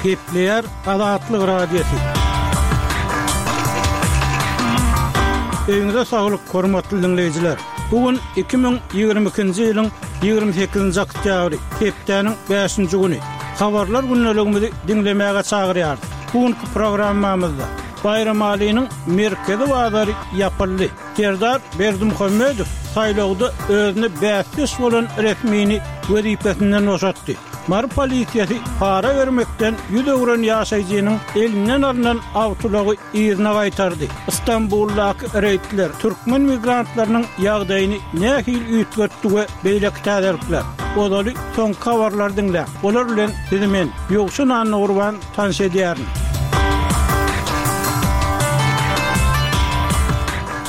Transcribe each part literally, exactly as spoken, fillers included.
Gepleýär Azatlyk Radiosy. Öýüňize saglyk, hormatly diňleýjiler! Bu gün iki müň ýigrimi ikinji ýylyň ýigrimi sekizinji oktýabry, hepdäniň bäşinji güni. Habarlar gündeligimizi diňlemäge çagyrýarys. Bu günki programmamyzda Baýramalynyň merkezi bazary ýapyldy. Serdar Berdimuhamedow saýlawda özüne bäsdeş bolan resmini wezipesinden boşatdy. Mary polisiýasy para bermekden ýüz öwren ýaşaýjynyň elinden alnan awtoulagy yzyna gaýtardy. Stambuldaky reýdler türkmen migrantlarynyň ýagdaýyny nähili üýtgetdi we beýleki täzelikler. Ozaly soňky habarlary diňläň. Olar bilen sizi men, Ýowşan Annagurban tanyş edýärin.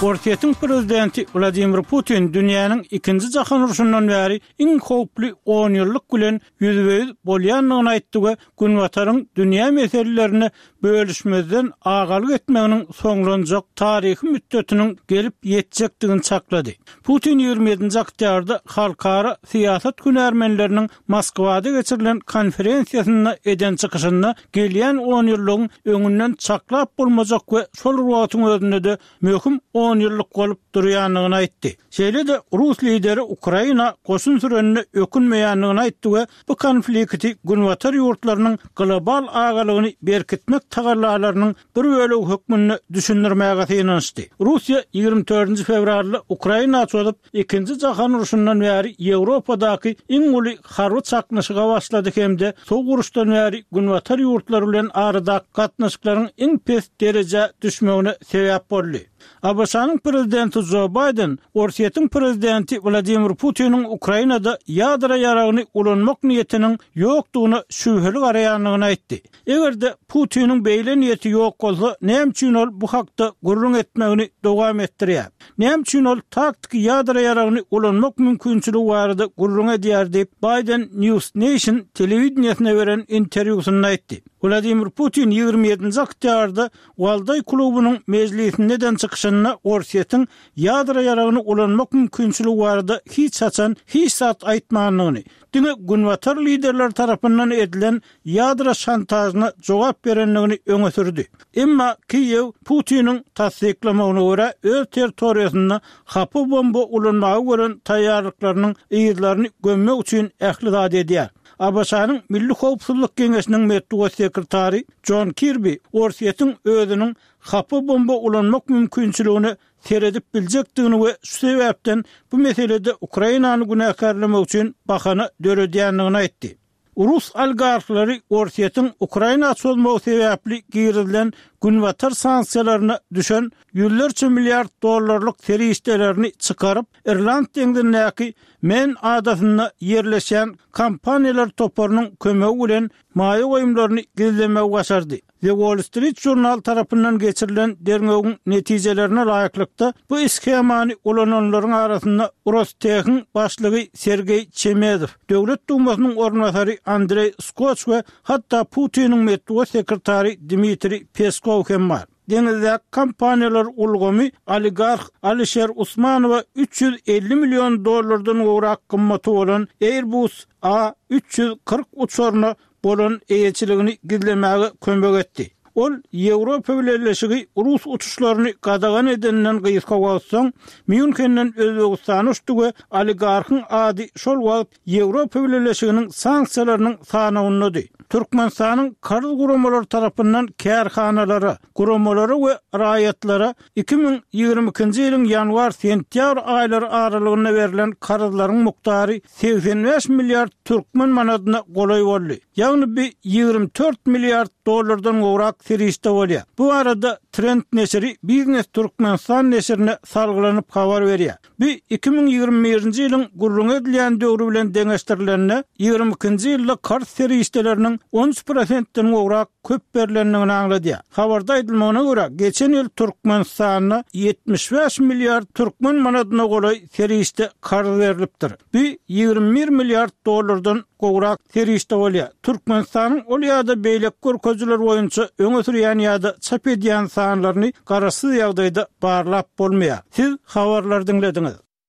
Orsýetiň prezidenti Wladimir Putin dünýäniň ikinji jahan urşundan bäri iň howply onýyllyk bilen ýüzbe-ýüz bolýandygyny aýtdy we Günbataryň dünýä meselelerine bölüşmezden agalyk etmeginiň soňlanjak taryhy mütdetiniň gelip ýetjekdigini çaklady. Putin ýigrimi ýedinji oktýabrda halkara syýasat hünärmenleriniň Moskwada geçirilen konferensiýasynda eden çykyşynda gelýän onýyllygyň öňünden çaklap bolmajak we şol bir wagtyň özünde-de möhüm onýyllyk bolup durýandygyny aýtdy. Şeýle-de rus lideri Ukraina goşun sürenine ökünmeýändigini aýtdy we bu konflikti Günbatar ýurtlarynyň global agalygyny berkitmek tagallalarynyň bir bölegi hökmünde düşündirmäge synanyşdy. Russiýa ýigrimi dördünji fewralda Ukraina çozup, Ikinji jahan urşundan bäri Ýewropadaky iň uly harby çaknyşyga başlady hem-de Sowuk uruşdan bäri Günbatar ýurtlary bilen aradaky gatnaşyklaryň iň pes derejä düşmegine sebäp boldy. ABŞ-nyň prezidenti Jo Baýden Orsýetiň prezidenti Wladimir Putiniň Ukrainada ýadro ýaragyny ulanmak niýetiniň ýokdugyna şübheli garaýandygyny aýtdy. Eger-de Putiniň beýle niýeti ýok bolsa, näme üçin ol bu hakda gürrüň etmegini dowam etdirýär? Näme üçin ol taktiki ýadro ýaragyny ulanmak mümkinçiligi barada gürrüň edýär diýip, Baýden News Nation telewideniýesine beren interwýusynda aýtdy. Wladimir Putin ýigrimi ýedinji oktýabrda Waldaý klubunyň mejlisinde eden çykyşynda Orsýetiň ýadro ýaragyny ulanmak mümkinçiligi barada hiç haçan hiç zat aýtmandygyny, diňe Günbatar liderleri tarapyndan edilen ýadro şantažyna jogap berendigini öňe sürdi. Emma Kiýew Putiniň tassyklamagyna görä, öz territoriýasynda hapa bomba ulanmaga gören taýýarlyklarynyň yzlaryny gömmek üçin ähli zady edýär. ABŞ-nyň Milli howpsuzlyk geňeşiniň metbugat sekretary Jon Kirbi Orsýetiň özüniň hapa bomba ulanmak mümkinçiligine seredip biljekdigini we şu sebäpden bu meselede Ukrainany günäkärlemek üçin bahana döredýändigini aýtdy. Rus oligarhlary Orsýetiň Ukraina çozmagy sebäpli girizilen Günbatar sanksiýalaryna düşen ýüzlerçe milliard dollarlyk serişdelerini çykaryp, Irland deňzindäki Men adasynda ýerleşýän kompaniýalar toparynyň kömegi bilen maýa goýumlaryny gizlemegi başardy. The Wall Street Journal tarapyndan geçirilen derňewiň netijelerine laýyklykda, bu shemany ulananlaryň arasynda Rostehiň başlygy Sergeý Çemezow, Döwlet Dumasynyň orunbasary Andreý Skoç we hatda Putiniň metbugat sekretary Dmitriý Peskow hem bar. Deňizdäki kompaniýalar ulgamy oligarh Alişer Usmanowa üç ýüz elli million dollardan gowrak gymmaty bolan Airbus A üç ýüz kyrk uçaryna bolan eýeçiligini gizlemäge kömek etdi. Ol Ýewropa Bileleşigi rus uçuşlaryny gadagan edeninden gysga wagt soň, Mýunhenden Özbegistana uçdy we oligarhyň ady şol wagt Ýewropa Bileleşiginiň sanksiýalarynyň sanawyndady. Türkmenistanyň karz guramalary tarapyndan kärhanalara, guramalara we raýatlara iki müň ýigrimi ikinji ýylyň ýanwar-sentýabr aýlary aralygynda berlen karzlaryň mukdary segsen bäş milliard türkmen manadyna golaý boldy. Ýagny bu ýigrimi dört milliard dollardan gowrak serişde bolýar. Bu barada Trend neşiri Biznes Türkmenistan neşirine salgylanyp habar berýär. Bu iki müň ýigrimi birinji ýylyň gürrüňi edilýän döwri bilen deňeşdirilende, ýigrimi ikinji ýylda karz serişdeleriniň on üç prosentden gowrak köp berlendigini aňladýar. Habarda aýdylmagyna görä, geçen ýyl Türkmenistanda ýetmiş bäş milliard türkmen manadyna golaý serişde karz berlipdir. Bu ýigrimi bir milliard dollardan gowrak serişde bolýar. Türkmenistanyň ol ýa-da beýleki görkezijiler boýunça öňe sürýän ýa-da çap edýän sanlaryny garaşsyz ýagdaýda barlap bolmaýar. Siz habarlary diňlediňiz.